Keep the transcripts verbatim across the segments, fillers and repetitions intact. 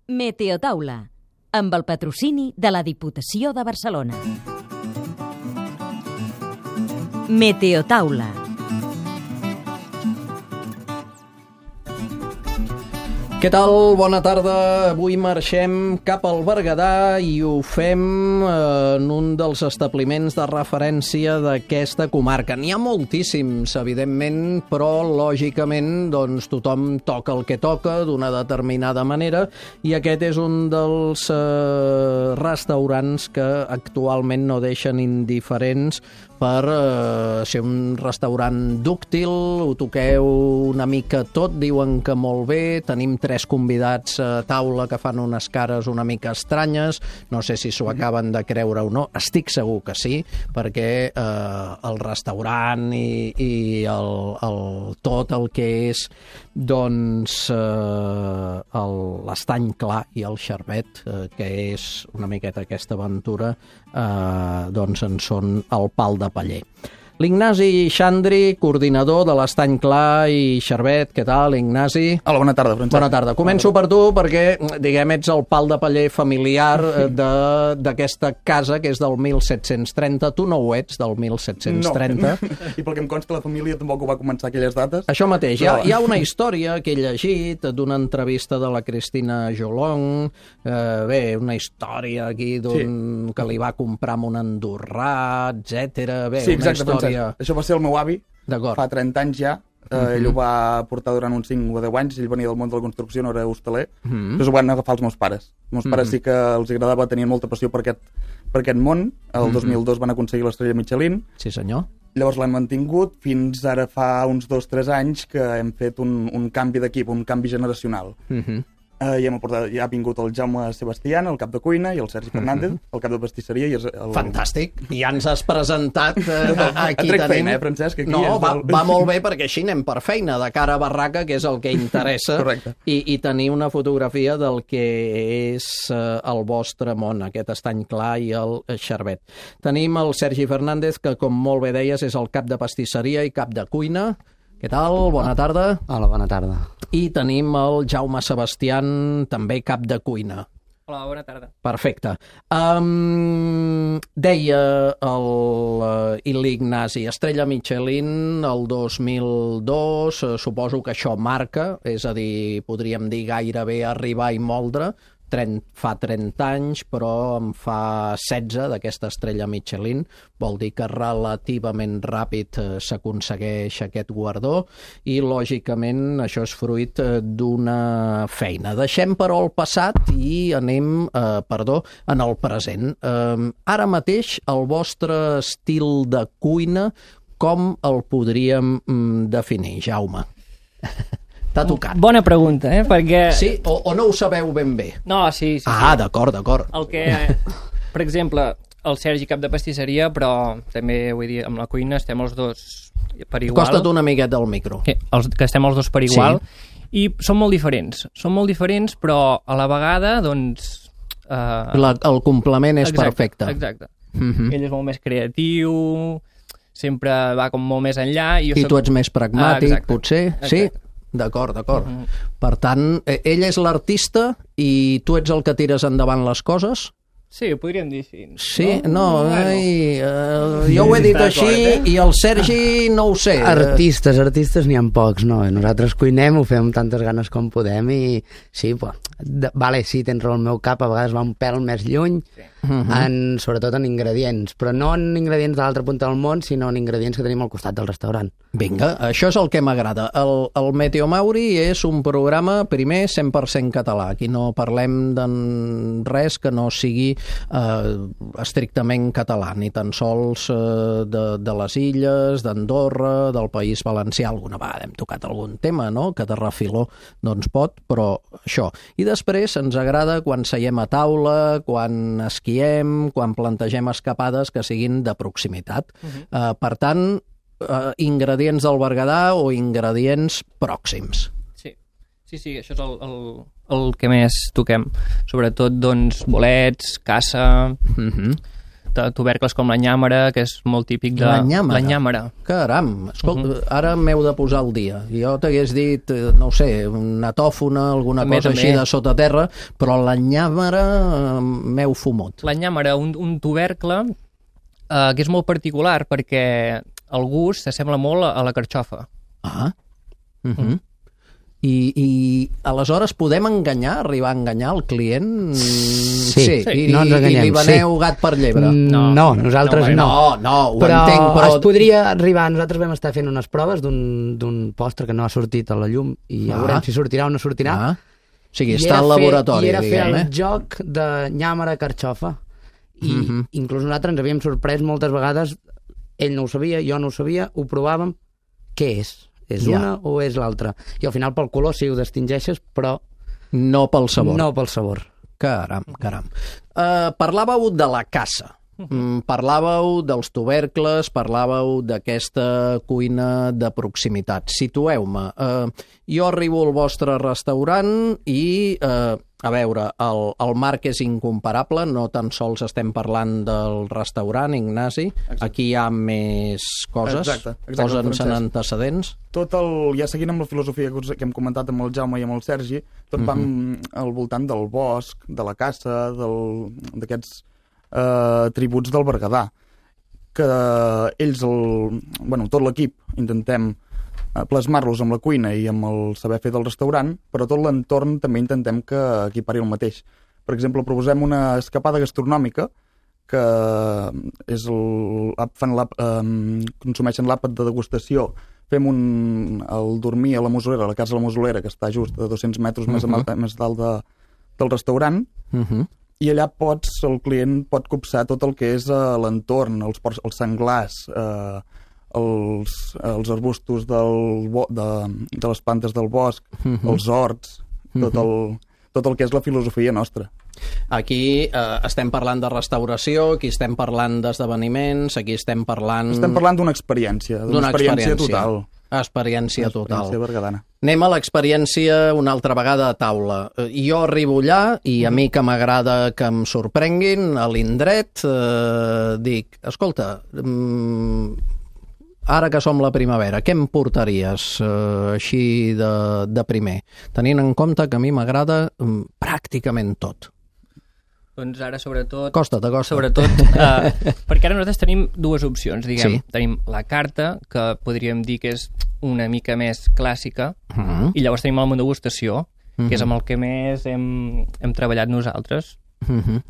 Meteotaula, amb el patrocini de la Diputació de Barcelona. Meteotaula. Què tal? Bona tarda. Avui marxem cap al Berguedà i ho fem en un dels establiments de referència d'aquesta comarca. N'hi ha moltíssims, evidentment, però lògicament doncs, tothom toca el que toca d'una determinada manera i aquest és un dels eh, restaurants que actualment no deixen indiferents per eh, ser un restaurant dúctil, ho toqueu una mica tot, diuen que molt bé, tenim tres convidats a taula que fan unes cares una mica estranyes, no sé si s'ho acaben de creure o no, estic segur que sí, perquè eh, el restaurant i, i el, el, tot el que és doncs eh, l'estany clar i el xarbet, eh, que és una miqueta aquesta aventura, eh, doncs en són el pal de paller. L'Ignasi Xandri, coordinador de l'Estany Clar i Xarbet. Què tal, Ignasi? Hola, bona tarda, Francesc. Bona tarda. Començo per tu perquè, diguem, ets el pal de paller familiar d'aquesta casa que és del mil set-cents trenta. Tu no ho ets, del mil set-cents trenta. No, i pel que em consta la família tampoc ho va començar aquelles dates. Això mateix. Hi ha, hi ha una història que he llegit d'una entrevista de la Cristina Jolong, eh, bé, una història aquí d'un sí. que li va comprar amb un andorrà, etcètera. Bé, sí, una exacte, història... Això va ser el meu avi, fa trenta anys ja. Uh, uh-huh. Ell ho va portar durant uns cinc o deu anys, ell venia del món de la construcció, no era hostaler, uh-huh. Llavors ho van agafar els meus pares. Els meus uh-huh. pares sí que els agradava, tenien molta passió per aquest, per aquest món. El uh-huh. dos mil dos van aconseguir l'estrella Michelin. Sí, senyor. Llavors l'hem mantingut fins ara fa uns dos o tres anys que hem fet un, un canvi d'equip, un canvi generacional. Uh-huh. Uh, i hem aportat, ja ha vingut el Jaume Sebastián, el cap de cuina, i el Sergi Fernández, uh-huh. el cap de pastisseria. I és el... Fantàstic. Ja ens has presentat. Eh, aquí tenim... feina, eh, Francesc? Aquí no, és va, el... va molt bé perquè així anem per feina, de cara a barraca, que és el que interessa, i, i tenir una fotografia del que és eh, el vostre món, aquest estany clar i el xarbet. Tenim el Sergi Fernández, que com molt bé deies és el cap de pastisseria i cap de cuina. Què tal? Bona tarda. Hola, bona tarda. I tenim el Jaume Sebastián, també cap de cuina. Hola, bona tarda. Perfecte. Um, deia l'Ignasi, Estrella Michelin el dos mil dos, suposo que això marca, és a dir, podríem dir gairebé arribar i moldre, fa trenta anys, però en fa setze d'aquesta estrella Michelin. Vol dir que relativament ràpid s'aconsegueix aquest guardó i, lògicament, això és fruit d'una feina. Deixem, però, el passat i anem, eh, perdó, en el present. Eh, ara mateix, el vostre estil de cuina, com el podríem mm, definir, Jaume? T'ha tocat. Bona pregunta, eh? Perquè... Sí? O, o no ho sabeu ben bé? No, sí, sí. Ah, sí. d'acord, d'acord. El que, per exemple, el Sergi cap de pastisseria, però també, vull dir, amb la cuina estem els dos per igual. Acosta't una miqueta al micro. Que, els, que estem els dos per igual. Sí. I són molt diferents. Són molt diferents, però a la vegada, doncs... Eh... La, el complement és exacte, perfecte. Exacte. Uh-huh. Ell és molt més creatiu, sempre va com molt més enllà. I, jo I soc... tu ets més pragmàtic, ah, potser? Exacte. Sí? D'acord, d'acord. Uh-huh. Per tant, ell és l'artista i tu ets el que tires endavant les coses? Sí, ho podríem dir així. Sí? No, no ai, uh, jo ho he dit així i el Sergi no ho sé. Artistes, artistes n'hi ha pocs, no? Nosaltres cuinem, ho fem amb tantes ganes com podem i sí, pues, de, vale, sí, tens raó, el meu cap a vegades va un pèl més lluny, sí. uh-huh. en, sobretot en ingredients, però no en ingredients de l'altra punta del món, sinó en ingredients que tenim al costat del restaurant. Vinga, això és el que m'agrada. El, el Meteo Mauri és un programa, primer, cent per cent català. Aquí no parlem de res que no sigui eh, estrictament català, ni tan sols eh, de, de les illes, d'Andorra, del País Valencià. Alguna vegada hem tocat algun tema, no?, que de refiló doncs pot, però això. I després ens agrada quan seiem a taula, quan esquiem, quan plantegem escapades que siguin de proximitat. Uh-huh. eh, per tant, Uh, ingredients del Berguedà o ingredients pròxims. Sí, sí, sí, això és el, el, el que més toquem. Sobretot, doncs, bolets, caça... Uh-huh. tubercles com la nyàmera, que és molt típic de... La nyàmera? La nyàmera. Caram, escolta, uh Mhm. -huh. ara m'heu de posar al dia. Jo t'hagués dit, eh, no ho sé, una tòfona, alguna També, cosa també. així de sota terra, però la nyàmera eh, m'heu fumut. La nyàmera, un, un tubercle eh, que és molt particular perquè el gust s'assembla molt a la carxofa. Ah, uh -huh. I, I aleshores podem enganyar, arribar a enganyar el client? Sí, sí. sí. I, No ens enganyem, I li veneu sí. gat per llebre? No, no, nosaltres No, no. no, ho però entenc, però... es podria arribar... Nosaltres vam estar fent unes proves d'un d'un postre que no ha sortit a la llum i ja Ah. veurem si sortirà o no sortirà. Ah. O sigui, I està era al fer- laboratori, I era diguem, fer eh? el joc de nyàmera carxofa. I Mhm. inclús nosaltres ens havíem sorprès moltes vegades, ell no ho sabia, jo no ho sabia, ho provàvem, què és? És Ja. una o és l'altra? I al final pel color sí ho distingeixes, però No pel sabor. no pel sabor. Caram, caram. Uh, parlàveu de la caça. Mm, parlàveu dels tubercles, parlàveu d'aquesta cuina de proximitat. Situeu-me. Uh, jo arribo al vostre restaurant i, uh, a veure, el, el marc és incomparable, no tan sols estem parlant del restaurant, Ignasi. Exacte. Aquí hi ha més coses. Exacte, exacte, Posa'ns en Francesc. antecedents. Tot el, ja seguint amb la filosofia que us- que hem comentat amb el Jaume i amb el Sergi, tot va Mhm. al voltant del bosc, de la caça, del- d'aquests eh, tributs del Berguedà, que ells, el, bueno, tot l'equip, intentem eh, plasmar-los amb la cuina i amb el saber fer del restaurant, però tot l'entorn també intentem que equipari el mateix. Per exemple, proposem una escapada gastronòmica que és el, fan l'àp- eh, consumeixen l'àpat de degustació. Fem un, el dormir a la Mosolera, a la casa de la Mosolera, que està just a dos-cents metres més, Mhm. uh-huh. més dalt de, del restaurant, Uh -huh. i allà pots, el client pot copsar tot el que és uh, l'entorn, els, porcs- els senglars, eh, els, els arbustos del, bo, de, de les plantes del bosc, Mhm. els horts, tot el, tot el que és la filosofia nostra. Aquí eh, estem parlant de restauració, aquí estem parlant d'esdeveniments, aquí estem parlant... Estem parlant d'una experiència, d'una d'una experiència, experiència total. Experiència Una total. experiència berguedana. Anem a l'experiència una altra vegada a taula. Eh, Jo arribo allà i a mi que m'agrada que em sorprenguin a l'indret, eh, dic, escolta, mm, ara que som la primavera, què em portaries eh, així de, de primer? Tenint en compte que a mi m'agrada mm, pràcticament tot. Doncs ara, sobretot... Costa't, acosta't. Sobretot, eh, perquè ara nosaltres tenim dues opcions, diguem. Sí. Tenim la carta, que podríem dir que és una mica més clàssica, Mm. i llavors tenim el menú degustació, Mhm. que és amb el que més hem, hem treballat nosaltres. Mhm.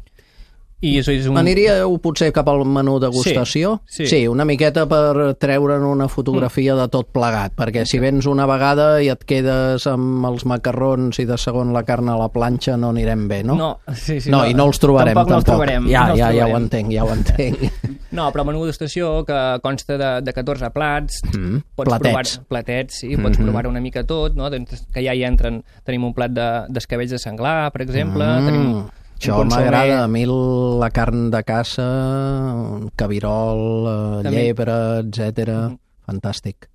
I això és un... Aniríeu potser cap al menú degustació? Sí, sí. sí, una miqueta per treure'n una fotografia de tot plegat, perquè si vens una vegada i et quedes amb els macarrons i de segon la carn a la planxa no anirem bé, no? No, sí, sí, no, i no els trobarem tampoc. tampoc. No els trobarem, ja, no els ja, ja ho trobarem. entenc, ja ho entenc. No, però el menú degustació, que consta de, de catorze plats, Mm, pots platets. provar platets, sí, pots Mhm. provar una mica tot, no? Doncs que ja hi entren, tenim un plat de- d'escabells de, de senglar, per exemple, Mm, tenim un això consomé. m'agrada, a mi la carn de caça, cabirol, eh, També. llebre, etcètera. Mhm. Fantàstic.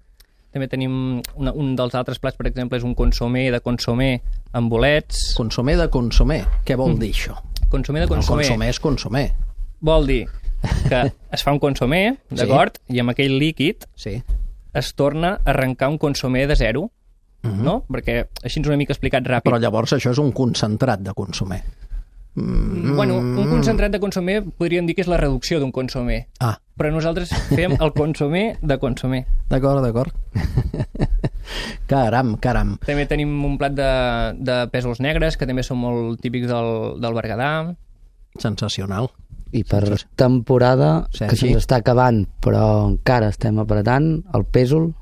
També tenim una, un dels altres plats, per exemple, és un consomé de consomé amb bolets. Consomé de consomé, què vol dir això? Consomé de No, consomé consomé és consomé. vol dir que es fa un consomé, d'acord? I amb aquell líquid Sí. es torna a arrencar un consomé de zero, Mhm. no? Perquè així ens una mica explicat ràpid. Però llavors això és un concentrat de consomé. Mm. Bueno, un concentrat de consomé podríem dir que és la reducció d'un consomé. Ah, Però nosaltres fem el consomé de consomé. d'acord, d'acord. Caram, caram. També tenim un plat de, de pèsols negres, que també són molt típics del, del Berguedà. Sensacional. I per temporada, que Sergi? se'ns està acabant, però encara estem apretant, el pèsol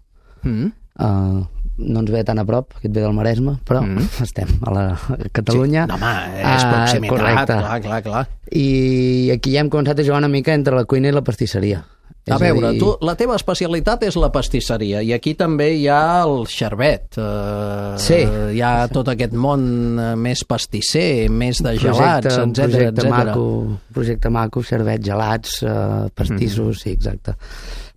Mm. eh, no ens ve tan a prop, aquest ve del Maresme, però Mm. estem a la a Catalunya. Sí. No, home, és Ah, proximitat, correcte. clar, clar, clar. I aquí ja hem començat a jugar una mica entre la cuina i la pastisseria. A És veure, dir, tu, la teva especialitat és la pastisseria i aquí també hi ha el xervet. Eh, Sí. Hi ha tot aquest món eh, més pastisser, més de gelats, projecte, un etcètera, projecte etcètera. maco, projecte maco, servets, gelats, eh, pastissos, Mhm. sí, exacte.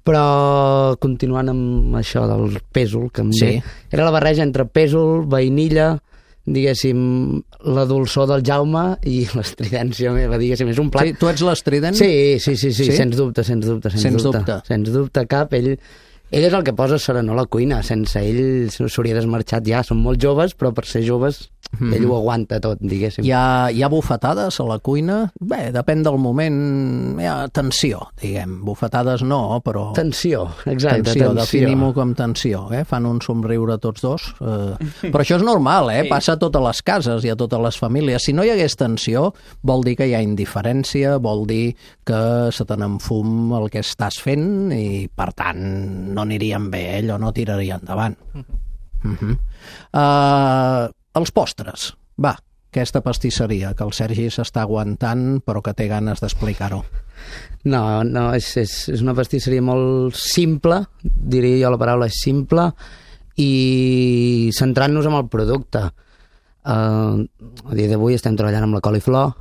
Però continuant amb això del pèsol, que em Sí. ve, era la barreja entre pèsol, vainilla, diguéssim, la dolçor del Jaume i l'estridència meva, diguéssim, és un plat... Sí, tu ets l'estrident? Sí, sí, sí, sí, sí? sens dubte, sens dubte, sens, sens dubte. dubte. Sens dubte cap, ell... Ell és el que posa serenor a la cuina, sense ell s'hauria desmarxat ja, són molt joves, però per ser joves mm. ell ho aguanta tot, diguéssim. Hi ha, hi ha bufetades a la cuina? Bé, depèn del moment, hi ha tensió, diguem, bufetades no, però... Tensió, exacte, tensió. tensió. Definim-ho com tensió, eh? Fan un somriure tots dos. Eh... Però això és normal, eh? Passa a totes les cases i a totes les famílies. Si no hi hagués tensió, vol dir que hi ha indiferència, vol dir que se te n'enfum el que estàs fent i, per tant, no anirien bé, eh? Allò no tiraria endavant. Uh -huh. uh, els postres, va, aquesta pastisseria que el Sergi s'està aguantant però que té ganes d'explicar-ho. No, no, és, és, és una pastisseria molt simple, diria jo la paraula és simple, i centrant-nos en el producte. Uh, a dia d'avui estem treballant amb la coliflor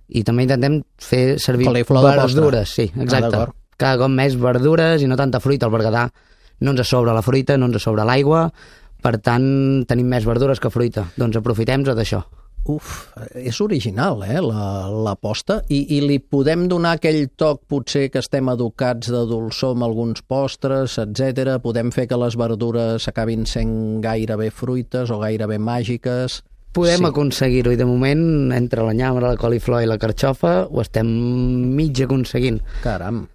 i també intentem fer servir coliflor verdures, sí, exacte. Ah, cada cop més verdures i no tanta fruita. Al Berguedà no ens sobra la fruita, no ens sobra l'aigua, per tant tenim més verdures que fruita. Doncs aprofitem-nos d'això. Uf, és original, eh, l'aposta. I, I li podem donar aquell toc, potser que estem educats de dolçor amb alguns postres, etcètera. Podem fer que les verdures acabin sent gairebé fruites o gairebé màgiques. Podem sí. aconseguir-ho, i de moment, entre la nyambra, la coliflor i la carxofa, ho estem mig aconseguint. Caram.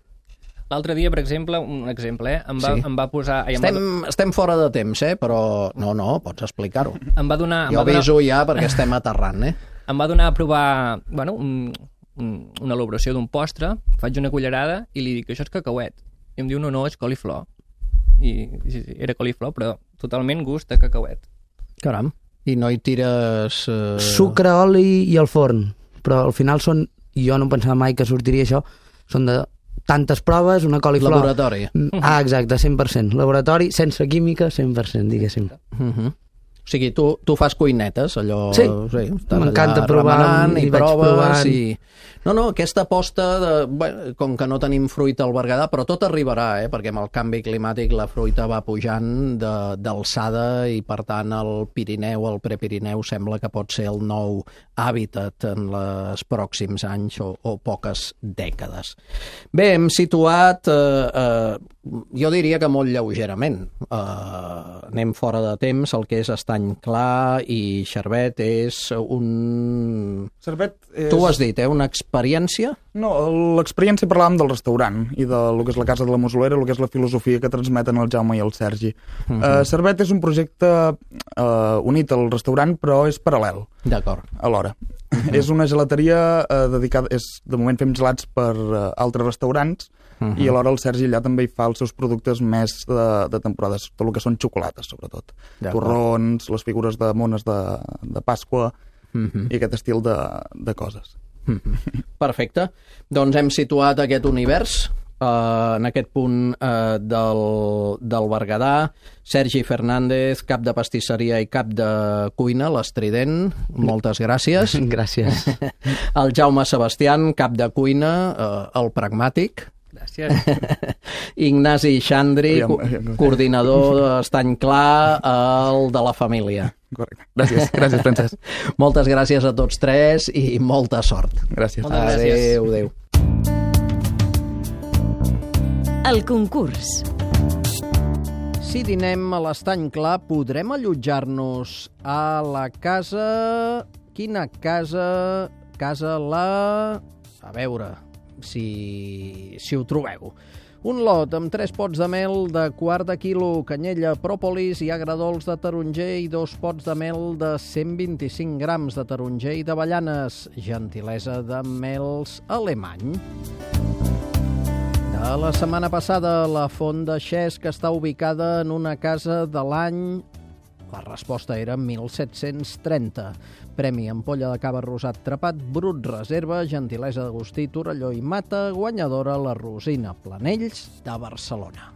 L'altre dia, per exemple, un exemple, eh? Em va, sí. em va posar... Ai, estem, em va... estem fora de temps, eh? Però no, no, pots explicar-ho. Em va donar... Jo em va aviso donar... ja perquè estem aterrant, eh? Em va donar a provar, bueno, un, un, una elaboració d'un postre, faig una cullerada i li dic que això és cacauet. I em diu, no, no, és coliflor. I sí, sí, era coliflor, però totalment gust de cacauet. Caram. I no hi tires... Eh... Sucre, oli i al forn. Però al final són... Jo no pensava mai que sortiria això. Són de tantes proves, una coliflor... Laboratori. Ah, exacte, cent per cent. Laboratori, sense química, cent per cent, diguéssim. Uh-huh. O sigui, tu, tu fas cuinetes, allò... Sí, sí m'encanta provar i, i proves provant. I... No, no, aquesta aposta, de, bé, com que no tenim fruita al Berguedà, però tot arribarà, eh? Perquè amb el canvi climàtic la fruita va pujant d'alçada i, per tant, el Pirineu, el Prepirineu, sembla que pot ser el nou hàbitat en els pròxims anys o, o poques dècades. Bé, hem situat, eh, eh, jo diria que molt lleugerament, eh, anem fora de temps, el que és estany clar i xarbet és un... Xarbet és... Tu ho has dit, eh? Una experiència? No, l'experiència parlàvem del restaurant i de lo que és la Casa de la Musolera, el que és la filosofia que transmeten el Jaume i el Sergi. Uh -huh. uh, Xarbet és un projecte uh, unit al restaurant, però és paral·lel. D'acord. Alhora. Uh -huh. És una gelateria uh, dedicada... És, de moment fem gelats per uh, altres restaurants, uh -huh. i alhora el Sergi allà també hi fa els seus productes més de, de temporades, tot el que són xocolates, sobretot. Torrons, les figures de mones de, de Pasqua, uh-huh. i aquest estil de, de coses. Uh-huh. Perfecte. Doncs hem situat aquest univers uh, en aquest punt uh, del, del Berguedà. Sergi Fernández, cap de pastisseria i cap de cuina, l'Estrident. Moltes gràcies. Gràcies. El Jaume Sebastián, cap de cuina, uh, el Pragmàtic. Gràcies. Ignasi Xandri, co coordinador d'Estany Clar, el de la família. Correcte. Gràcies, gràcies, Francesc. Moltes gràcies a tots tres i molta sort. Gràcies. Moltes gràcies. Adéu, adéu. El concurs. Si dinem a l'Estany Clar, podrem allotjar-nos a la casa... Quina casa? Casa la... A veure... Si, si ho trobeu. Un lot amb tres pots de mel de quart de quilo, canyella, pròpolis i agradols de taronger i dos pots de mel de cent vint-i-cinc grams de taronger i d'avellanes. Gentilesa de Mels Alemany. De la setmana passada, la Font de Xesc està ubicada en una casa de l'any... La resposta era mil set-cents trenta. Premi ampolla de cava rosat trepat, brut reserva, gentilesa d'Agustí, Torelló i Mata, guanyadora la Rosina Planells de Barcelona.